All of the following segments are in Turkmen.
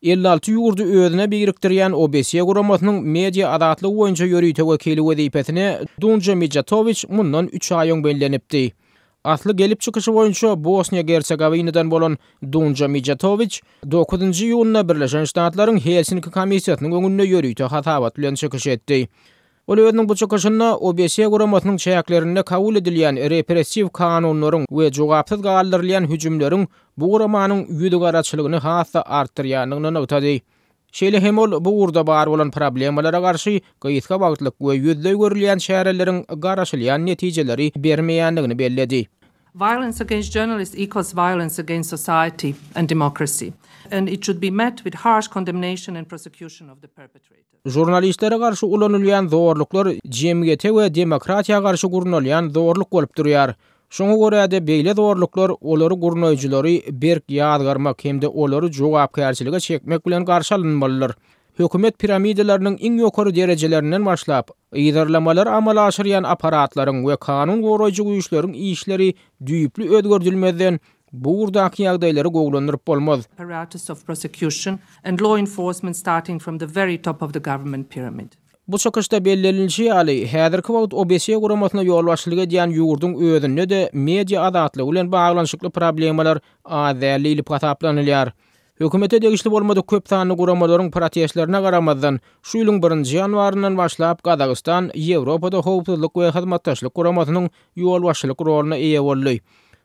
56 ýurdy özüne birikdirýän OBSE guramasynyň media azatlygy boýunça ýörite wekili wezipesine Dunja Mijatowiç mundan üç aý öň bellenipdi. Asly gelip çykyşy boýunça Bosniýa-Gersegowinadan bolan Dunja Mijatowiç dokuzynjy iýunda Birleşen Ştatlaryň Helsinki komissiýasynyň öňünde ýörite hasabat bilen çykyş etdi. Ol özüniň bu çykyşynda OBSE guramasynyň çäklerinde kabul edilýän repressiw kanunlaryň we jogapsyz galdyrylýan hüjümleriň bu guramanyň ýüzügaraçylygyny has-da artdyrýandygyny nygtady. Şeýle hem ol bu ugurda bar bolan problemalara garşy gysga wagtlyk we ýüzleý görülýän çäreleriň garaşylýan netijeleri bermeýändigini belledi. Violence against journalists equals violence against society and democracy and it should be met with harsh condemnation and prosecution of the perpetrators. Žurnalistlere garşy ulanylýan zorluklar jemgyýete we demokratiýa garşy gurnalýan zorluk bolup durýar. Şoňa görä-de beýle zorluklar olary gurnaýjylary berk ýazgarmak hem-de olary jogapkärçilige çekmek bilen garşy alynmalydyr. Hökümet piramidalarynyň iň ýokary derejelerinden başlap, yzarlamalary amala aşyrýan apparatlaryň we kanun goraýjy güýçleriň işleri düýpli özgerdilmezden Bu ugurdaky ýagdaýlary gowulandyryp bolmaz. Apparatus of prosecution and law enforcement starting from the very top of the government pyramid. Bu çykyşda bellenilişi ýaly, häzirki wagt OBSE guramasyna ýolbaşçylyk edýän ýurduň özünde-de media azatlygy bilen baglanyşykly problemalar az däl diýlip hasaplanylýar. Hökümete degişli bolmadyk köp sanly guramalaryň protestlerine garamazdan, şu ýylyň birinji ýanwaryndan başlap Gazagystan Ýewropada Howpsuzlyk we Hyzmatdaşlyk Guramasynyň ýolbaşçylyk roluna eýe boldy.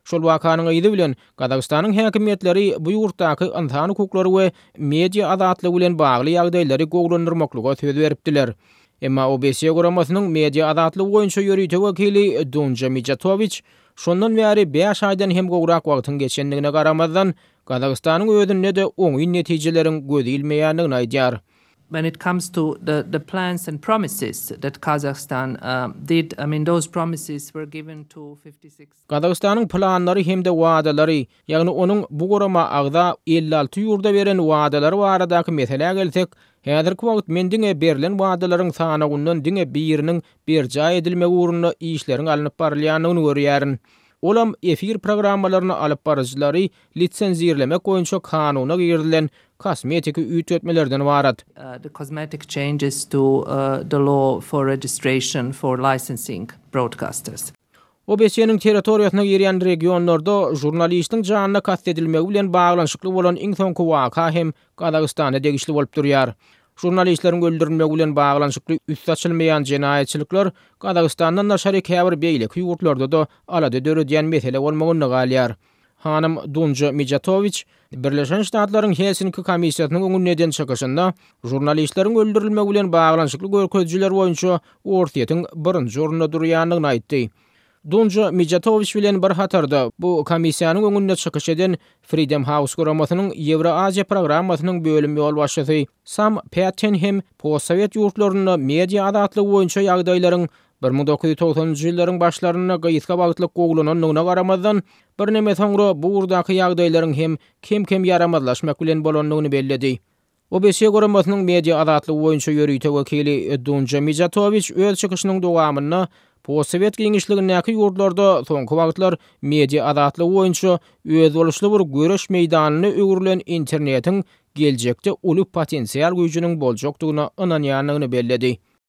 Şol wakanyň yzy bilen, Gazagystanyň häkimiýetleri bu ýurtdaky ynsan hukuklary we media azatlygy bilen bagly ýagdaýlary gowulandyrmaklyga söz beripdiler. Emma OBSE guramasynyň media azatlygy boýunça ýörite wekili Dunja Mijatowiç şondan bäri bäş aýdan hem gowrak wagtyň geçendigine garamazdan, Gazagystanyň özünde-de oňyn netijeleriň göz ilmeýändigini aýdýar. When it comes to the the plans and promises that Kazakhstan did, I mean those promises were given to 56. Gazagystanyň planlary hem-de wadalary, ýagny onuň bu gurama agza 56 ýurda beren wadalary baradaky meselä gelsek, häzirki wagt men diňe berlen wadalaryň sanawyndan diňe biriniň berjaý edilmegi ugrunda işleriň alnyp barylýandygyny görýärin. Olam efir programmalaryny alyp baryjylary lisenzirlemek boýunça kanuna girizilen kosmetiki üýtgetmelerden ybarat. The cosmetic changes to the law for registration for licensing broadcasters. OBSE-niň territoriýasyna girýän regionlarda žurnalistiň janyna kast edilmegi bilen baglanyşykly bolan iň soňky waka hem Gazagystana degişli bolup durýar. Žurnalistleriň öldürilmegi bilen baglanyşykly üsti açylmaýan jenaýatçylyklar Gazagystandan daşary käbir beýleki ýurtlarda-da alada döredýän mesele bolmagynda galýar. Hanym Dunja Mijatowiç Birleşen Ştatlaryň Helsinki komissiýasynyň öňünde eden çykyşynda žurnalistleriň öldürilmegi bilen baglanyşykly görkezijiler boýunça Orsýetiň birinji orunda durýandygyny aýtdy. Dunja Mijatowiç bilen bir hatarda bu komissiýanyň öňünde çykyş eden Freedom House guramasynyň Ýewroaziýa programmasynyň bölüm ýolbaşçysy Sam Patten hem postsowet ýurtlarynda media azatlygy boýunça ýagdaýlaryň 1990-njy ýyllaryň başlarynda gysga wagtlyk gowulanandygyna garamazdan, birneme soňra bu ugurdaky ýagdaýlaryň hem kem-kem ýaramazlaşmak bilen bolandygyny belledi. OBSE guramasynyň media azatlygy boýunça ýörite wekili Dunja Mijatowiç öz çykyşynyň dowamynda postsowet giňişligindäki ýurtlarda soňky wagtlar media azatlygy boýunça özboluşly bir göreş meýdanyna öwrülen internetiň geljekde uly potensial güýjüniň boljakdygyna ynanýandygyny belledi.